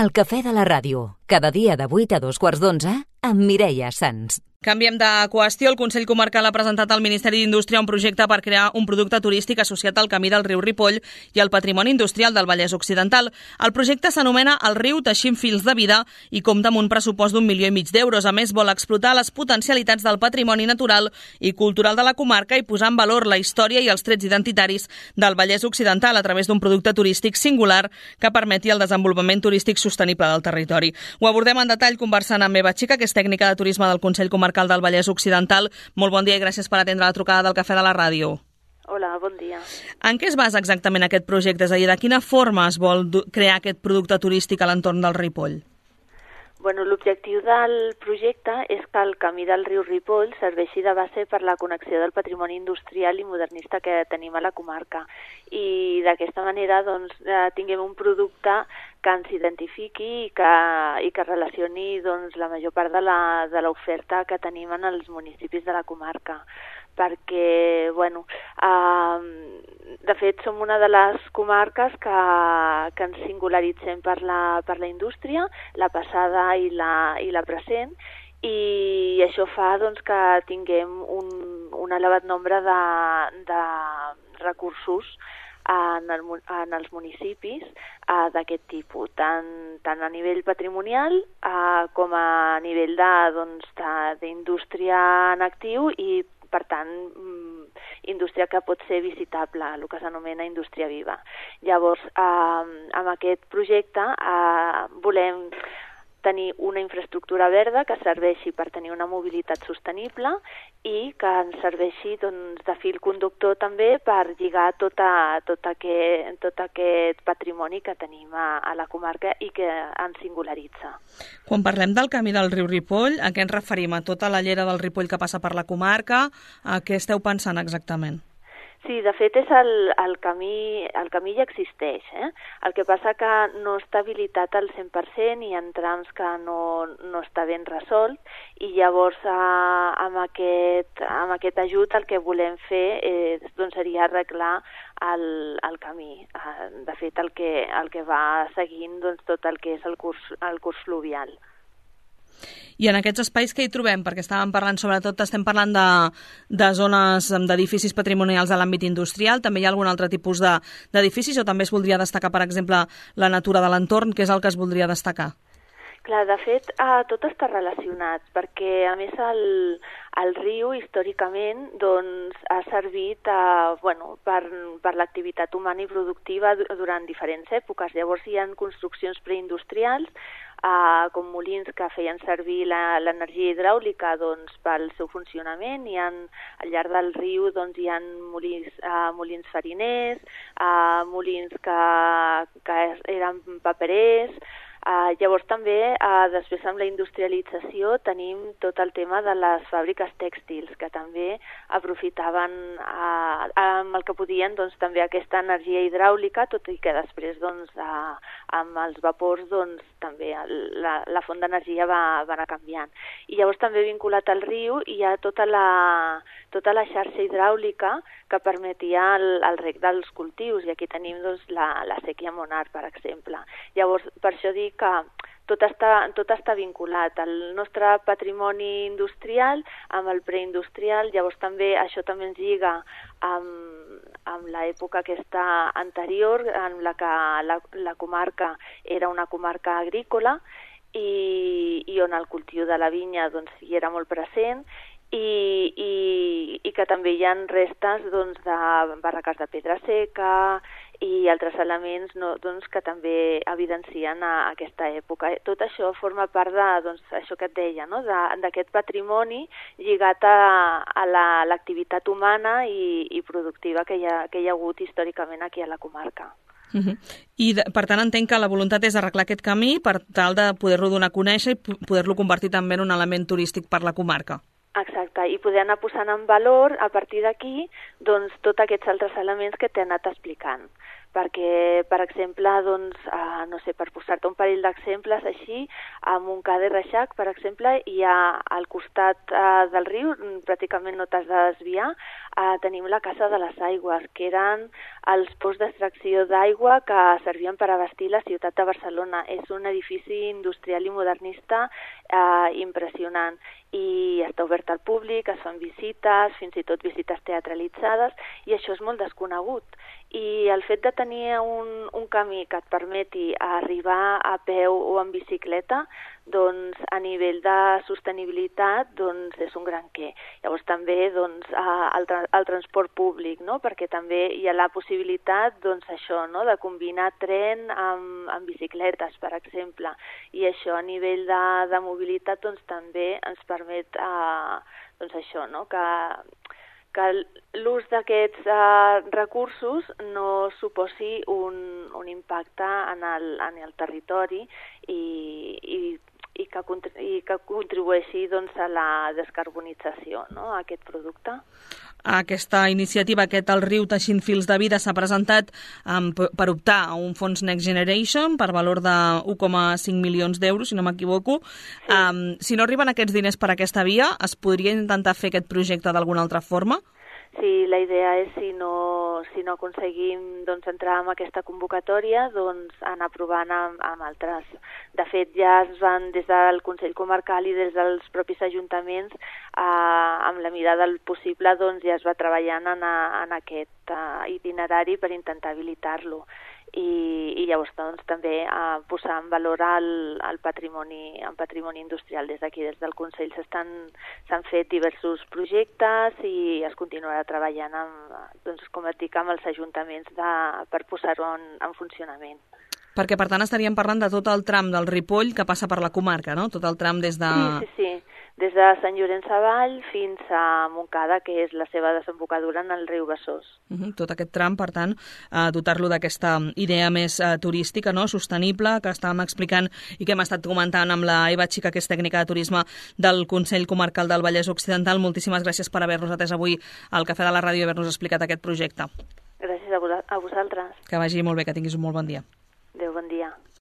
El cafè de la ràdio, cada dia de 8 a 2:15 amb Mireia Sans. Canviem de qüestió. El Consell Comarcal ha presentat al Ministeri d'Indústria un projecte per crear un producte turístic associat al camí del riu Ripoll i al patrimoni industrial del Vallès Occidental. El projecte s'anomena El riu teixint fils de vida i compta amb un pressupost d'1,5 milions d'euros. A més, vol explotar les potencialitats del patrimoni natural i cultural de la comarca i posar en valor la història i els trets identitaris del Vallès Occidental a través d'un producte turístic singular que permeti el desenvolupament turístic sostenible del territori. Ho abordem en detall conversant amb Eva Chica, que és tècnica de turisme del Consell Comarcal del Vallès Occidental. Molt bon dia i gràcies per atendre la trucada del Cafè de la Ràdio. Hola, bon dia. En què es basa exactament aquest projecte? És a dir, de quina forma es vol crear aquest producte turístic a l'entorn del Ripoll? Bueno, l'objectiu del projecte és que el camí del riu Ripoll serveixi de base per la connexió del patrimoni industrial i modernista que tenim a la comarca. I d'aquesta manera tinguem un producte que ens identifiqui i que relacioni la major part de l'oferta que tenim en els municipis de la comarca. Perquè, de fet, som una de les comarques que ens singularitzem per la indústria, la passada i la present, i això fa que tinguem un elevat nombre de recursos en els municipis d'aquest tipus, tant a nivell patrimonial com a nivell d'indústria en actiu i, per tant, indústria que pot ser visitable, el que s'anomena indústria viva. Llavors, amb aquest projecte volem tenir una infraestructura verda que serveixi per tenir una mobilitat sostenible i que ens serveixi de fil conductor també per lligar tot aquest patrimoni que tenim a la comarca i que ens singularitza. Quan parlem del camí del riu Ripoll, a què ens referim? A tota la llera del Ripoll que passa per la comarca? A què esteu pensant exactament? Sí, de fet el camí ja existeix. El que passa que no està habilitat al 100% i en trams que no està ben resolt, i llavors amb aquest ajut el que volem fer seria arreglar el camí. De fet, el que va seguint tot el que és el curs fluvial. I en aquests espais que hi trobem? Perquè estem parlant de zones d'edificis patrimonials de l'àmbit industrial. També hi ha algun altre tipus d'edificis o també es voldria destacar, per exemple, la natura de l'entorn? Què és el que es voldria destacar? Clar, de fet, tot està relacionat, perquè, a més, el riu, històricament, ha servit per l'activitat humana i productiva durant diferents èpoques. Llavors, hi ha construccions preindustrials, com molins que feien servir l'energia hidràulica pel seu funcionament, i al llarg del riu hi ha molins fariners, molins que eren paperers. Llavors també, després amb la industrialització, tenim tot el tema de les fàbriques tèxtils, que també aprofitaven amb el que podien també aquesta energia hidràulica, tot i que després amb els vapors també la font d'energia va anar canviant. I llavors també vinculat al riu hi ha tota la xarxa hidràulica que permetia el reg dels cultius, i aquí tenim la séquia Monar, per exemple. Llavors, per això dic que tot està vinculat, el nostre patrimoni industrial amb el preindustrial. Llavors això també ens lliga amb l'època aquesta anterior, en la que la comarca era una comarca agrícola i on el cultiu de la vinya hi era molt present, i que també hi ha restes de barraques de pedra seca i altres elements que també evidencien aquesta època. Tot això forma part d'això que et deia, d'aquest patrimoni lligat a l'activitat humana i productiva que hi ha hagut històricament aquí a la comarca. I, per tant, entenc que la voluntat és arreglar aquest camí per tal de poder-lo donar a conèixer i poder-lo convertir també en un element turístic per la comarca. Exacte, i poder anar posant en valor, a partir d'aquí, tots aquests altres elements que t'he anat explicant. perquè, per exemple, doncs, no sé, per posar-te un parell d'exemples així, a Montcada i Reixac, per exemple, hi ha al costat del riu, pràcticament no t'has de desviar, tenim la Casa de les Aigües, que eren els posts d'extracció d'aigua que servien per abastir la ciutat de Barcelona. És un edifici industrial i modernista impressionant i està obert al públic, es fan visites, fins i tot visites teatralitzades, i això és molt desconegut. I el fet de tenir un camí que et permeti arribar a peu o en bicicleta, doncs a nivell de sostenibilitat doncs és un gran què. Llavors també doncs, el transport públic, no? Perquè també hi ha la possibilitat doncs, això, no? De combinar tren amb bicicletes, per exemple, i això a nivell de mobilitat doncs, també ens permet doncs, això, no? Que l'ús d'aquests recursos no suposi un impacte en el territori i que contribueixi doncs, a la descarbonització, no?, a aquest producte. Aquesta iniciativa, El riu teixint fils de vida, s'ha presentat per optar a un fons Next Generation per valor de 1,5 milions d'euros, si no m'equivoco. Sí. Si no arriben aquests diners per aquesta via, es podria intentar fer aquest projecte d'alguna altra forma? Sí, la idea és, si no aconseguim doncs, entrar en aquesta convocatòria, doncs anar provant amb altres. De fet, ja es van des del Consell Comarcal i des dels propis ajuntaments, amb la mirada del possible, doncs ja es va treballant en aquest itinerari per intentar habilitar-lo. I llavors doncs, també posar en valor el patrimoni industrial. Des d'aquí, des del Consell, s'han fet diversos projectes i es continuarà treballant doncs, com et dic, amb els ajuntaments per posar-ho en funcionament. Perquè, per tant, estaríem parlant de tot el tram del Ripoll que passa per la comarca, no? Tot el tram des de... Sí. Des de Sant Llorenç Savall fins a Montcada, que és la seva desembocadura en el riu Besòs. Tot aquest tram, per tant, dotar-lo d'aquesta idea més turística, no?, sostenible, que estàvem explicant i que hem estat comentant amb la Eva Xica, que és tècnica de turisme del Consell Comarcal del Vallès Occidental. Moltíssimes gràcies per haver-nos atès avui al Cafè de la Ràdio i haver-nos explicat aquest projecte. Gràcies a vosaltres. Que vagi molt bé, que tinguis un molt bon dia. Adéu, bon dia.